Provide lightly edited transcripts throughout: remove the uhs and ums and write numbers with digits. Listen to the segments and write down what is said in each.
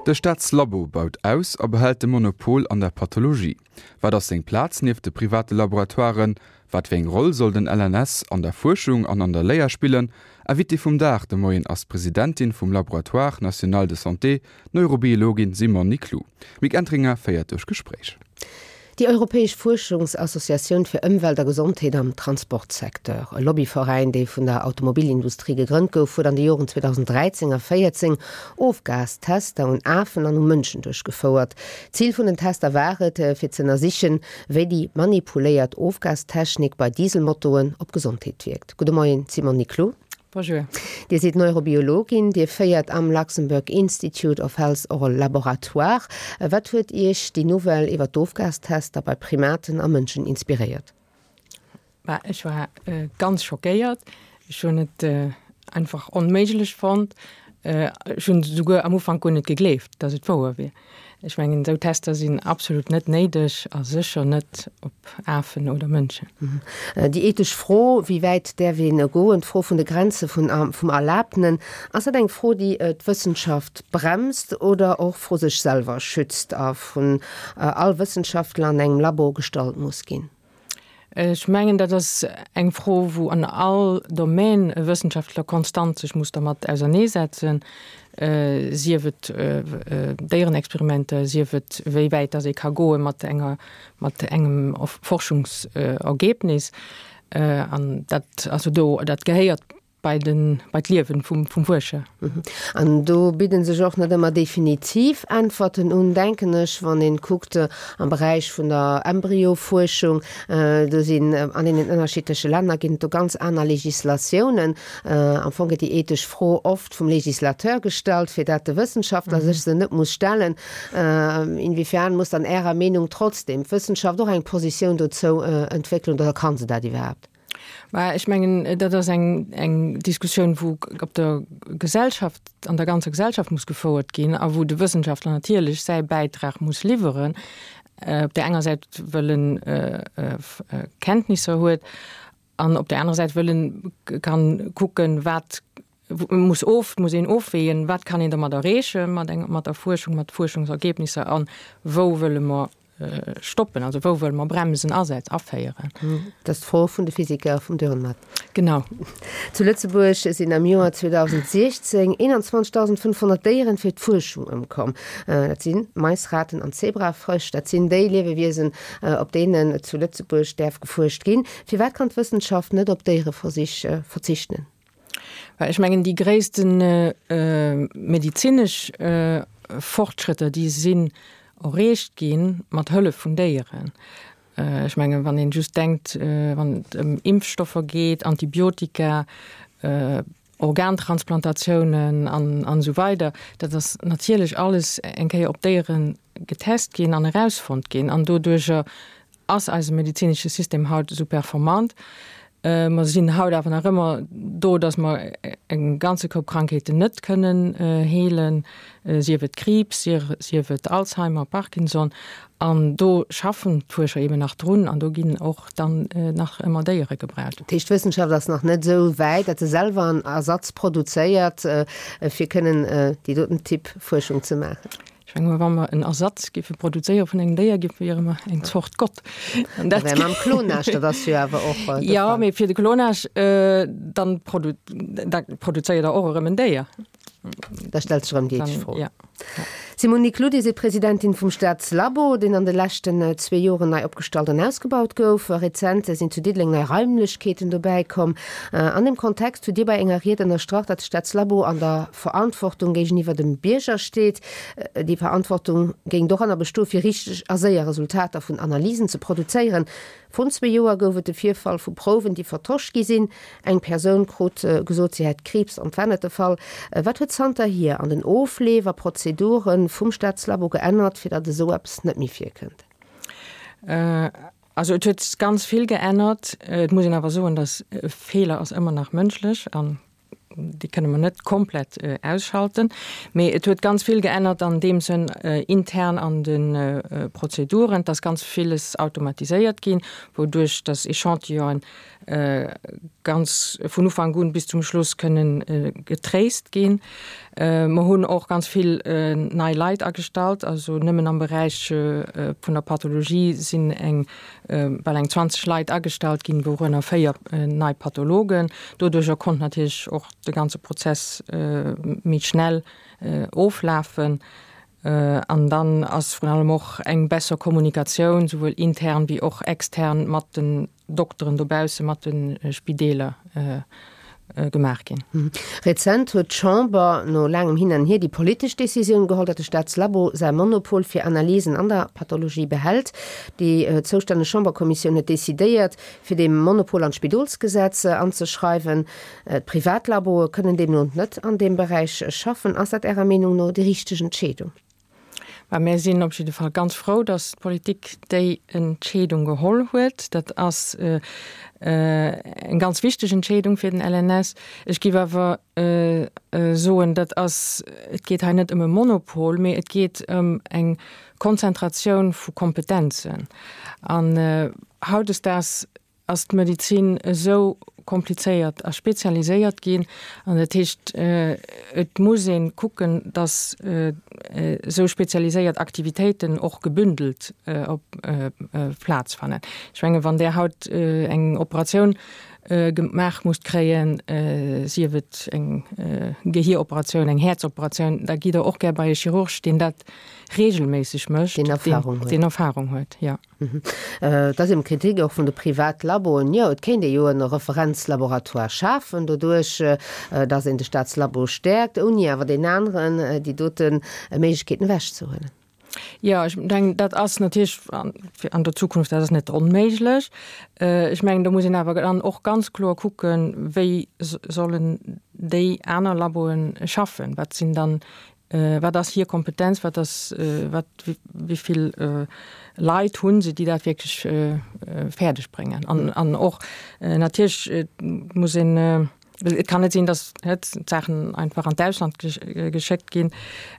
De Staatslabo baut aus a behält de Monopol an der Pathologie. Wat ass seng Plaz nieft de private Laboratoiren? Wat fir eng Roll soll den LNS an der Fuerschung an an der Léier spillen? Invitée vum Dag de Moien ass d'Presidentin vum Laboratoire national de santé, d'Neurobiologin Simone Niclou. D'Mick Entringer féiert duerch d'Gespréich. Déi Europäesch Fuerschungsassociatioun fir Ëmwelt a Gesondheet am Transportsecteur, e Lobbyveräin, dee vun der Automobilindustrie gegrënnt gouf, huet an de Joren 2013 a 14 Ofgastester un Afen an u Mënschen duerchgefouert. Zil vun den Tester war et, fir ze ënnersichen, wéi déi manipuléiert Ofgastechnik bei Dieselmotoen op d'Gesondheet wierkt. Gudde Moien, Simone Niclou. Bonjour. Dir sidd Neurobiologin, Dir féiert am Luxembourg Institute of Health och e Laboratoire. Wat huet Iech déi Nouvelle iwwer d'Ofgastester bei Primaten a Mënschen inspiréiert? Bah, ech war ganz schockéiert. Ech hunn et einfach onméiglech fonnt. Ech hunn souguer am Ufank guer net gegleeft, datt et wouer wier. Ech mengen, esou Tester sinn absolut net néideg a sécher net op Afen oder Mënschen. Déi ethesch Fro, wéi wäit däerf een goen, d'Fro vun de Grenze vum Erlaabtenen, ass dat eng Fro, déi d'Wëssenschaft bremst oder och vru sech selwer schützt a vun all Wëssenschaftler an engem Labo gestallt muss ginn? Ech mengen, dat ass eng Fro, wou an all Domän e Wëssenschaftler konstant sech muss dermat auserneesetzen, sief et Déierenexperimenter, sief et wéi wäit dass ee ka goe mat enger, mat engem Forschungsergebnis. An dat, also do, dat gehéiert bei den, bei d'Liewen vum, vum Fuerscher. An do bidden sech och net ëmmer definitiv Äntwerten un, denken ech, wann een kuckt am Beräich vun der Embryofuerschung, do sinn an deenen ënnerschiddleche Länner ginn et do ganz aner Legislatiounen. Am Fong gëtt déi ethesch Fro oft vum Legislateur gestallt, fir dat de Wëssenschaftler sech se net muss stellen. Inwiefern muss dann Ärer Meenung trotzdem d'Wëssenschaft och eng Positioun dozou entwéckelen oder kann se dat iwwerhaapt? Mä ech mengen, dat ass eng, eng Diskussioun, wou op der Gesellschaft, an der ganzer Gesellschaft muss gefouert ginn a wou de Wëssenschaftler natierlech säi Bäitrag muss liwweren. Op där enger Säit, wëll en Kenntnisser huet an op där anerer Säit, wëll en kann kucken, wat muss of, muss een ofwägen, wat kann een dermat erreeche mat enger, mat der Fuerschung, mat Fuerschungsergebnisser an wou wëlle mer stoppen, also wou wëlle mer Bremsen asetz, aféieren. Dat ass d'Fro vun de Physiker vum Dürrenmatt. Genau. Zu Lëtzebuerg sinn am Joer 2016 21.500 Déieren fir d'Fuerschung ëmkomm. Dat si Mais, Raten an Zebrafrësch. Dat sinn déi Liewewiesen, op deenen zu Lëtzebuerg däerf gefuerscht ginn. Firwat kann d'Wëssenschaft net op Déiereversich verzichten? Well ech mengen, déi gréisste medezinesch Fortschrëtter, déi sinn erreecht gi mat Hëllef vun Déieren. Ech mengen, wann een just denkt, wann et ëm Impfstoffer geet, Antibiotika, Organtransplantatiounen an esou weider, dat ass natierlech alles eng Kéier op Déiere getest ginn an erausfonnt ginn. An doduerjer Ass eise medezinesche System haut esou performant? Mer sinn haut awer nach ëmmer do, datt mer e ganze Koup Krankheeten net kënnen heelen, sief et Kriibs, sief et Alzheimer, Parkinson. An do schaffen d'Fuerscher eeben nach drun an do ginn och dann nach ëmmer Déiere gebraucht. Dat heescht, d'Wëssenschaft ass nach net esou wäit, datt se selwer en Ersatz produzéiert, fir kënnen déi doten Typ Fuerschung ze maachen? Ech menge mer, wa mer en Ersatz géife produzéiere vun engem Déier, géife wiere mer eng Zort Gott. An dat wär mam Klonage, dat ass jo awer och de Fall. Jo, mee fir de Klonage, dann produ da produzéiert Der och erëm en Déier. Da stellt sech erëm déi ethesch Fro. Ja. Simone Niclou, Dir sidd Presidentin vum Staatslabo, deen an de leschten zwee Joren nei opgestallt an ausgebaut gouf. Rezent sinn zu Diddeleng nei Raimlechkeeten dobäi komm. An deem Kontext hutt Dir bei enger Ried ënnerstrach, datt de Staatslabo an der Verantwortung géigeniwwer dem Bierger steet. Déi Verantwortung géing doranner bestoe fir richteg a séier Resultater vun Analysen ze produzéieren. Vrun zwee Joer gouf et de Virfall vu Prouwen, déi vertosch gi sinn. Eng Persoun krut gesot, si hätt Kriibs an et war net de Fall. Wat huet zanterhier an den Ofleef a Prozedure vum Staatslabo geännert, fir datt esou eppes net méi virkënnt? Also et huet ganz vill geännert. Et muss een awer soen, datt e Feeler ass ëmmer nach mënschlech an déi kënne mer net komplett ausschalten. Mee et huet ganz vill geännert an deem Sënn intern an de Prozeduren, dass ganz villes automatiséiert ginn, wouduerch dass Echantillonen. ganz vun Ufank un bis zum Schluss kënnen getraced ginn. Mer hunn och ganz vill nei Leit agestallt, also nëmmen am Beräich vun der Pathologie sinn eng bal eng 20 Leit agestallt ginn, wourënner 4 nei Pathologen. Doduercher konnt natierlech och de ganze Prozess méi schnell oflafen. An dann ass vrun allem och eng besser Kommunikatioun, souwuel intern wéi och extern mat den Dokteren dobausse, mat de Spideeler gemaach ginn. Rezent huet d'Chamber no laangem Hin an Hier déi politesch Decisioun geholl, datt de Staatslabo säi Monopol fir Analysen an der Pathologie behält. Déi zoustänneg Chamberkommissioun huet decidéiert, fir dee Monopol an d'Spidolsgesetz anzeschreiwen. D'Privatlaboe kënnen deemno net an deem Beräich schaffen. Ass dat Ärer Meenung no déi richteg Entscheedung? Mä mir sinn op jidde Fall ganz frou, datt d'Politik déi Entscheedung geholl huet. Dat ass eng ganz wichteg Entscheedung fir den LNS. Ech géif awer soen, dat ass, et geet hei net ëm e Monopol, mee et geet ëm eng Konzentratioun vu Kompetenzen. An hautdesdaags ass d'Medezin esou komplizéiert a spezialiséiert ginn. An dat heescht, et muss ee kucken, datt esou spezialiséiert Aktivitéiten och gebündelt op Plaz fannen. Ech menge wann Der haut eng Operatioun gemaach musst kréien, sief et eng Gehieroperatioun, eng Häerzoperatioun, da gitt Der och gär bei e Chirurg, deen dat regelméisseg mécht, deen Erfahrung huet, jo. Et ass eben d'Kritik och vun de Privatlaboen, jo, et kéint ee jo e Referenzlaboratoire schafen doduerch, datt een de Staatslabo stäerkt, ouni awer deenen aneren déi dote Méiglechkeeten ewechzehuelen. Jo, ech mengen, dat ass natierlech an der Zukunft, dat ass net onméiglech. Ech mengen, do muss een awer dann och ganz kloer kucken, wéi sollen déi aner Laboe schaffen, wat sinn dann Wat ass hir Kompetenz, wat ass, wat, wéi vill Leit hu se, déi dat wierklech fäerdeg bréngen? An, an och natierlech muss een, et kann net sinn, datt d'Saachen einfach an d'Ausland geschéckt ginn,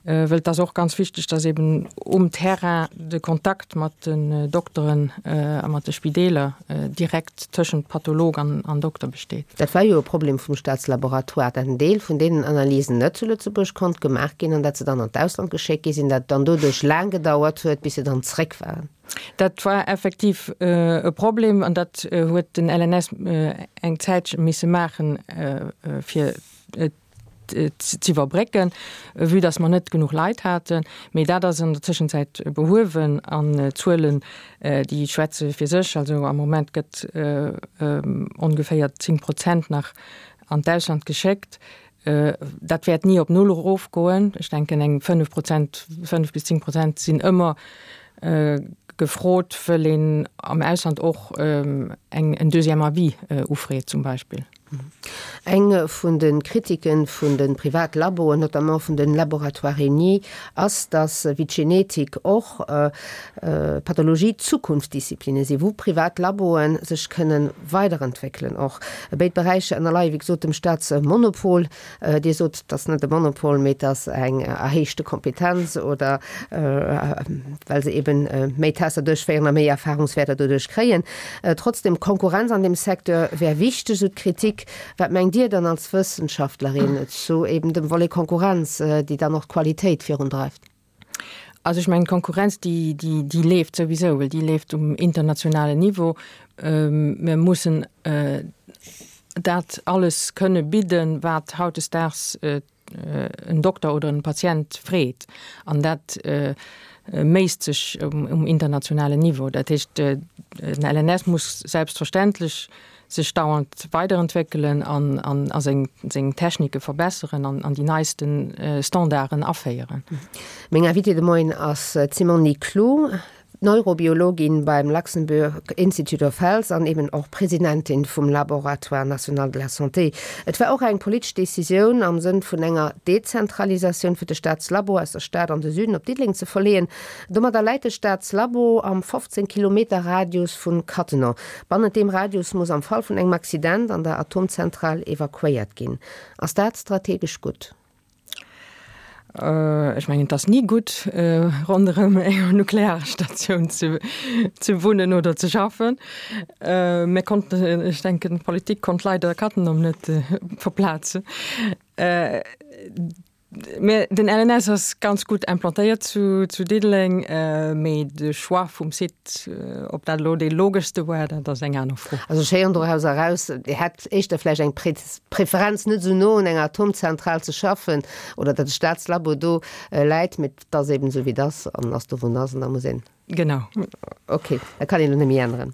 wëll et ass och ganz wichteg, datt eben um Terrain de Kontakt mat den Dokteren a mat de Spideeler direkt tëschent Patholog an Dokter besteet. Dat war jo e Problem vum Staatslaboratoire, dat en Deel vun deenen Analysen net zu Lëtzebuerg konnt gemaach ginn an dat se dann an d'Ausland geschéckt gi sinn, dat dann doduerch laang gedauert huet, bis se dann zréck waren. Dat war effektiv e Problem an dat huet den LNS eng Zäitche misse maachen, fir z'iwwerbrécken, vue dass mer net genuch Leit haten. Mee dat ass an der Tëschenzäit behuewen an d'Zuelen, déi schwätze fir sech. Also am Moment gëtt ongeféier 10 Prozent nach an d'Ausland geschéckt. Dat wäert ni op null erofgoen. Ech denken eng 5 Prozent, 5 bis 10 Prozent sinn ëmmer gefrot, wëll een am Ausland och eng en deuxième avis ufreet zum Beispill. Eng vun de Kritiken vun de Privatlaboen, notamment vun de Laboratoires Réunis, ass, datt, wéi d'Genetik och, d'Pathologie Zukunftsdisziplinne sinn, wou privat Laboe sech kënne weiderentwéckelen. Och béid Beräicher ënnerleie wéi gesot dem Staatsmonopol. Dir sot, et ass net e Monopol, mee et ass eng erhéichte Kompetenz oder well se eben méi Tester duerchféieren a méi Erfahrungswäerter doduerch kréien. Trotzdem, Konkurrenz an deem Secteur wär wichteg, esou d'Kritik. Wat mengt Dir dann als Wëssenschaftlerin zu eben dem Volet Konkurrenz, déi dann och d'Qualitéit virundreift? Also ech mengen, d'Konkurrenz, déi, déi, déi leeft souwisou, well déi leeft um internationalen Niveau. Mir mussen dat alles kënne bidden, wat hautdesdaags en Dokter oder en Patient freet. An dat méisst sech um internationalen Niveau. Dat heescht, den LNS muss selbstverständlech sech dauernd weiderentwéckelen an a seng seng Technike verbesseren an an déi neiste Standarden aféieren. Meng Invitée de Moien ass d'Simone Niclou, Neurobiologin beim Luxembourg Institute of Health an eben och Presidentin vum Laboratoire national de la santé. Et war och eng politesch Decisioun am Sënn vun enger Dezentralisatioun fir de Staatslabo aus der Stad an de Süden op Diddeleng ze verleeën. Domadder läit de Staatslabo am 15 Kilometer Radius vun Cattenom. Bannent deem Radius muss am Fall vun engem Accident an der Atomzentral evakuéiert ginn. Ass dat strategesch gutt? Ech mengen, et ass ni gutt, ronderëm enger Nuklearstatioun ze wunnen oder ze schaffen. Mir konnten, ech denken, d'Politik konnt leider Cattenom net verplazen. Mä den LNS ass ganz gutt implantéiert zu Diddeleng, mee de Choix vum Site, ob dat elo dee logeschste war, dat ass eng aner Fro. Also ech héieren doraus eraus, Dir hätt éischter vläicht eng Preferenz, net esou no un enger Atomzentral ze schaffen oder datt de Staatslabo do läit, mee et ass eben esou wéi et ass an ass do wou en ass an da muss een. Genau. Ok, dat kann een elo net méi änneren.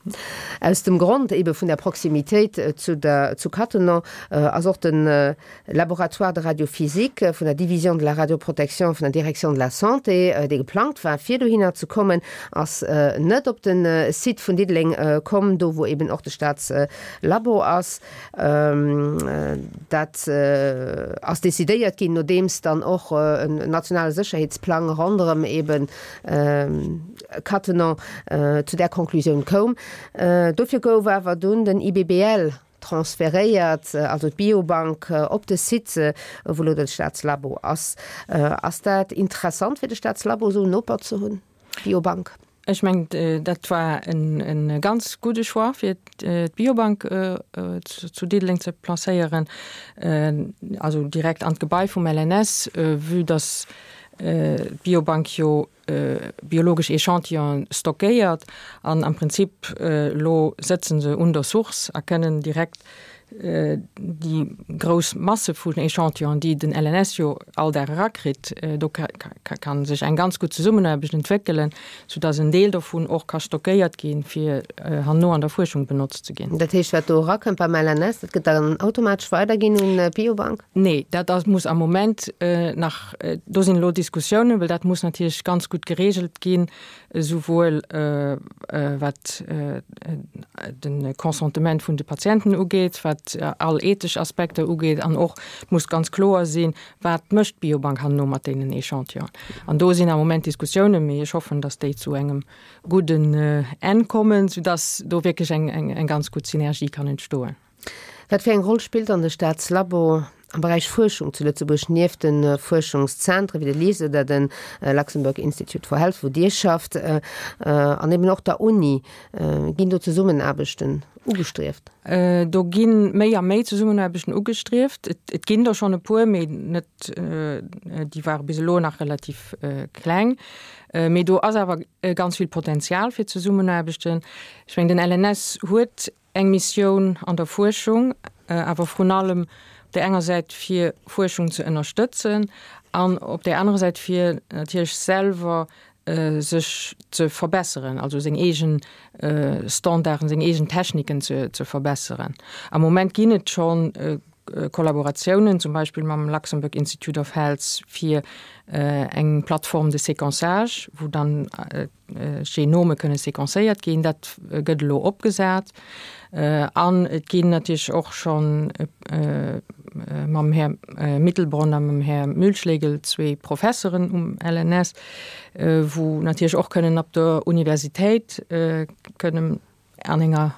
Aus dem Grond ebe vun der Proximitéit zu der, zu Cattenom ass och de Laboratoire de radiophysique vun der Division de la radioprotection vun der Direction de la Santé, dee geplangt war fir dohinner ze kommen, ass net op de Site vun Diddeleng komm, do wou eben och de Staatslabo ass. Dat ass decidéiert ginn, nodeems dann och en nationale Sécherheetsplang ronderëm eben Cattenom zu där Conclusioun koum. Dofir gouf awer dunn den IBBL transferéiert, also d'Biobank, op de Site, wou elo de Staatslabo ass. Ass dat interessant fir de Staatslabo esou en Noper ze hunn, d'Biobank? Ech mengen, dat war e ganz gudde Choix, fir d'Biobank zu Diddeleng ze placéieren, also direkt an d'Gebai vum LNS, vue dass d'Biobank jo biologesch Echantillonen stockéiert an am Prinzip elo sëtze se un der Source a kënnen direkt déi grouss Masse vun Echantillonen, déi den LNS jo all Dag erakritt, do ka sech eng ganz gutt Zesummenaarbecht entwéckelen, soudass en Deel dovun och ka stockéiert ginn, fir herno an der Fuerschung benotzt ze ginn. Dat heescht, wat do erakënnt beim LNS, dat gëtt dann automatesch weiderginn un d'Biobank? Nee, dat ass, muss am Moment nach, do sinn elo Diskussiounen, well dat muss natierlech ganz gutt geregelt ginn, esouwuel wat de Consentement vun de Patienten ugeet, wat all ethesch Aspekter ugeet an och, et muss ganz kloer sinn, wat mécht d'Biobank herno mat deenen Echantillonen. An do sinn am Moment Diskussiounen, mee ech hoffen, datt déi zu engem gudden Enn kommen, soudatt do wierklech eng ganz gutt Synergie kann entstoen. Wat fir eng Roll spillt dann de Staatslabo am Beräich Fuerschung zu Lëtzebuerg nieft de Fuerschungszentren wéi de LISE oder de Luxembourg Institute for Health, wou Dir schafft, an eben och der Uni? Ginn do Zesummenaarbechten ugestrieft? Do gi méi a méi Zesummenaarbechten ugestrieft. Et ginn der schonn e puer, mee net, déi ware bis elo nach relativ kleng. Mee do ass awer ganz vill Potenzial fir Zesummenaarbechten. Ech mengen, den LNS huet Eng Missioun an der Fuerschung, awer vrun allem op där enger Säit fir Fuerschung ze ënnerstëtzen an op där anerer Säit fir natierlech selwer sech ze verbesseren, also seng eegen Standarden, seng eegen Techniken ze verbesseren. Am Moment ginn et schonn Kollaboratiounen, zum Beispill mam Luxembourg Institute of Health fir eng Plateforme de séquençage, wou dann Genome kënne sequencéiert ginn. Dat gëtt elo opgesat. An et ginn natierlech och schonn mam Här Mittelbronn a mam Här Mühlschlegel zwee Professeren um LNS, wou natierlech och kënnen op der Universitéit kënnen an enger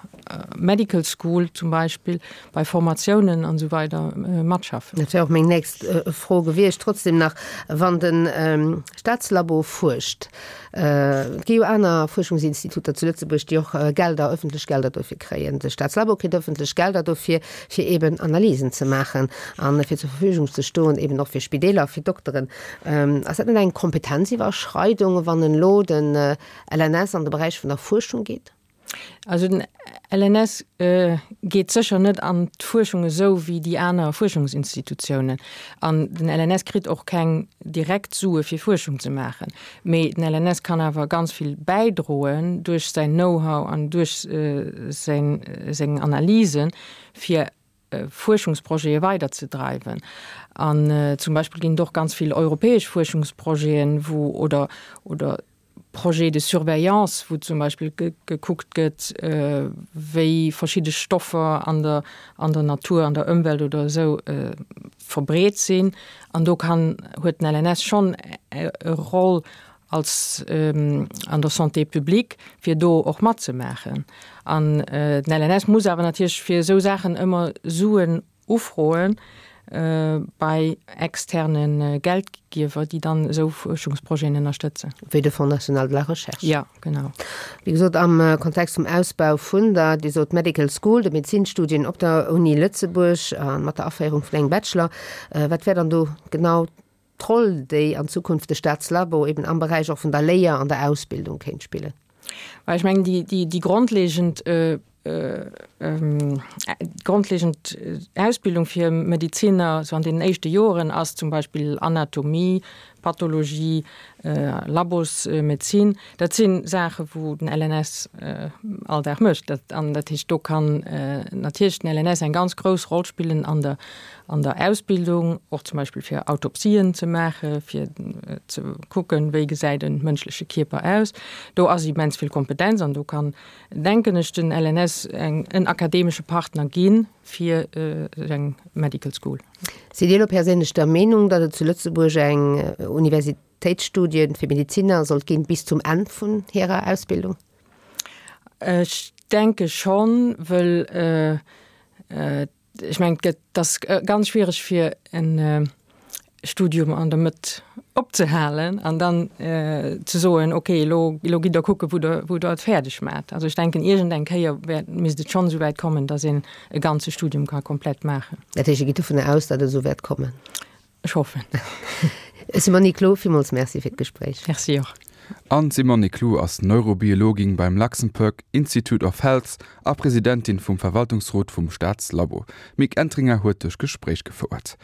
Medical School zum Beispill, bei Formatiounen an esou weider matschaffen. Dat wär och meng nächst Fro gewiescht. Trotzdem nach, wann de Staatslabo fuerscht, et gi jo aner Fuerschungsinstituter zu Lëtzebuerg, déi och Gelder, öffentlech Gelder dofir kréien. De Staatslabo kritt öffentlech Gelder dofir, fir eeben Analysen ze maachen a fir zur Verfügung ze stoen, eeben och fir Spideeler, fir Dokteren. Ass dat net eng Kompetenziwwerschreidung, wann elo de LNS an de Beräich vun der Fuerschung geet? Also den LNS geet sécher net an d'Fuerschung esou wéi déi aner Fuerschungsinstitutiounen. An den LNS kritt och keng direkt Sue fir Fuerschung ze maachen. Mee den LNS kann awer ganz vill bäidroen duerch säin Know-how an duerch seng Analysen, fir Fuerschungsprojete weiderzedreiwen. An zum Beispill ginn et och ganz vill europäesch Fuerschungsprojeten, wou oder oder Projets de surveillance, wou zum Beispill gekuckt gëtt, wéi verschidde Stoffer an der an der Natur, an der Ëmwelt oder esou verbreet sinn. An do kann huet den LNS schonn e Roll als an der Santé publique, fir do och matzemaachen. An den LNS muss awer natierlech fir esou Saachen ëmmer Suen ufroen. bei externe Geldgiewer, déi dann esou Fuerschungsprojeten ënnerstëtzen. Wéi de Fonds national de la recherche. Jo, genau. Wéi gesot, am Kontext vum Ausbau vun der, Dir sot Medical School, de Medezinstudien op der Uni Lëtzebuerg a mat der Aféierung vun engem Bachelor, wat wär dann do genau d'Roll, déi an Zukunft de Staatslabo eben am Beräich och vun der Léier an der Ausbildung kéint spillen? Well ech mengen, déi, déi, déi grondlegend, grondlegend Ausbildung fir Medeziner sou an deenen éischte Joren ass zum Beispill Anatomie, Pathologie, Labosmedezin. Dat si Saache wou den LNS all Dag mécht. Dat, an dat heescht, do kann natierlech den LNS eng ganz grouss Roll spillen an der, an der Ausbildung, och zum Beispill fir Autopsien ze maachen, fir ze kucken, wéi gesäit e mënschleche Kierper aus. Do ass immens vill Kompetenz an do kann, denken ech, den LNS eng, en akademesche Partner gi fir eng Medical School. Sidd Dir elo perséinlech der Meenung, datt et zu Lëtzebuerg eng Universitéitsstudie fir Medeziner sollt ginn bis zum Enn vun hirer Ausbildung? Ech denke schonn, wëll ech mengen, et gëtt, et ass ganz schwiereg fir en Studium an der Mëtt opzehalen an dann ze soen, okay, elo, elo gitt Der kucken, wou Der, wou Der et fäerdeg maacht. Also ech denken, iergend eng Kéier wäert, misst et schonn esou wäit kommen, datt een e ganze Studium ka komplett maachen. Dat heescht, Dir gitt dovunner aus, datt et esou wäert kommen? Ech hoffen. Simone Clou, villmools Merci fir d'Gespréich. Merci och. An d'Simone Clou ass Neurobiologin beim Luxembourg Institute of Health a Presidentin vum Verwaltungsrot vum Staatslabo. D'Mick Entringer huet duerch Gespréich gefouert.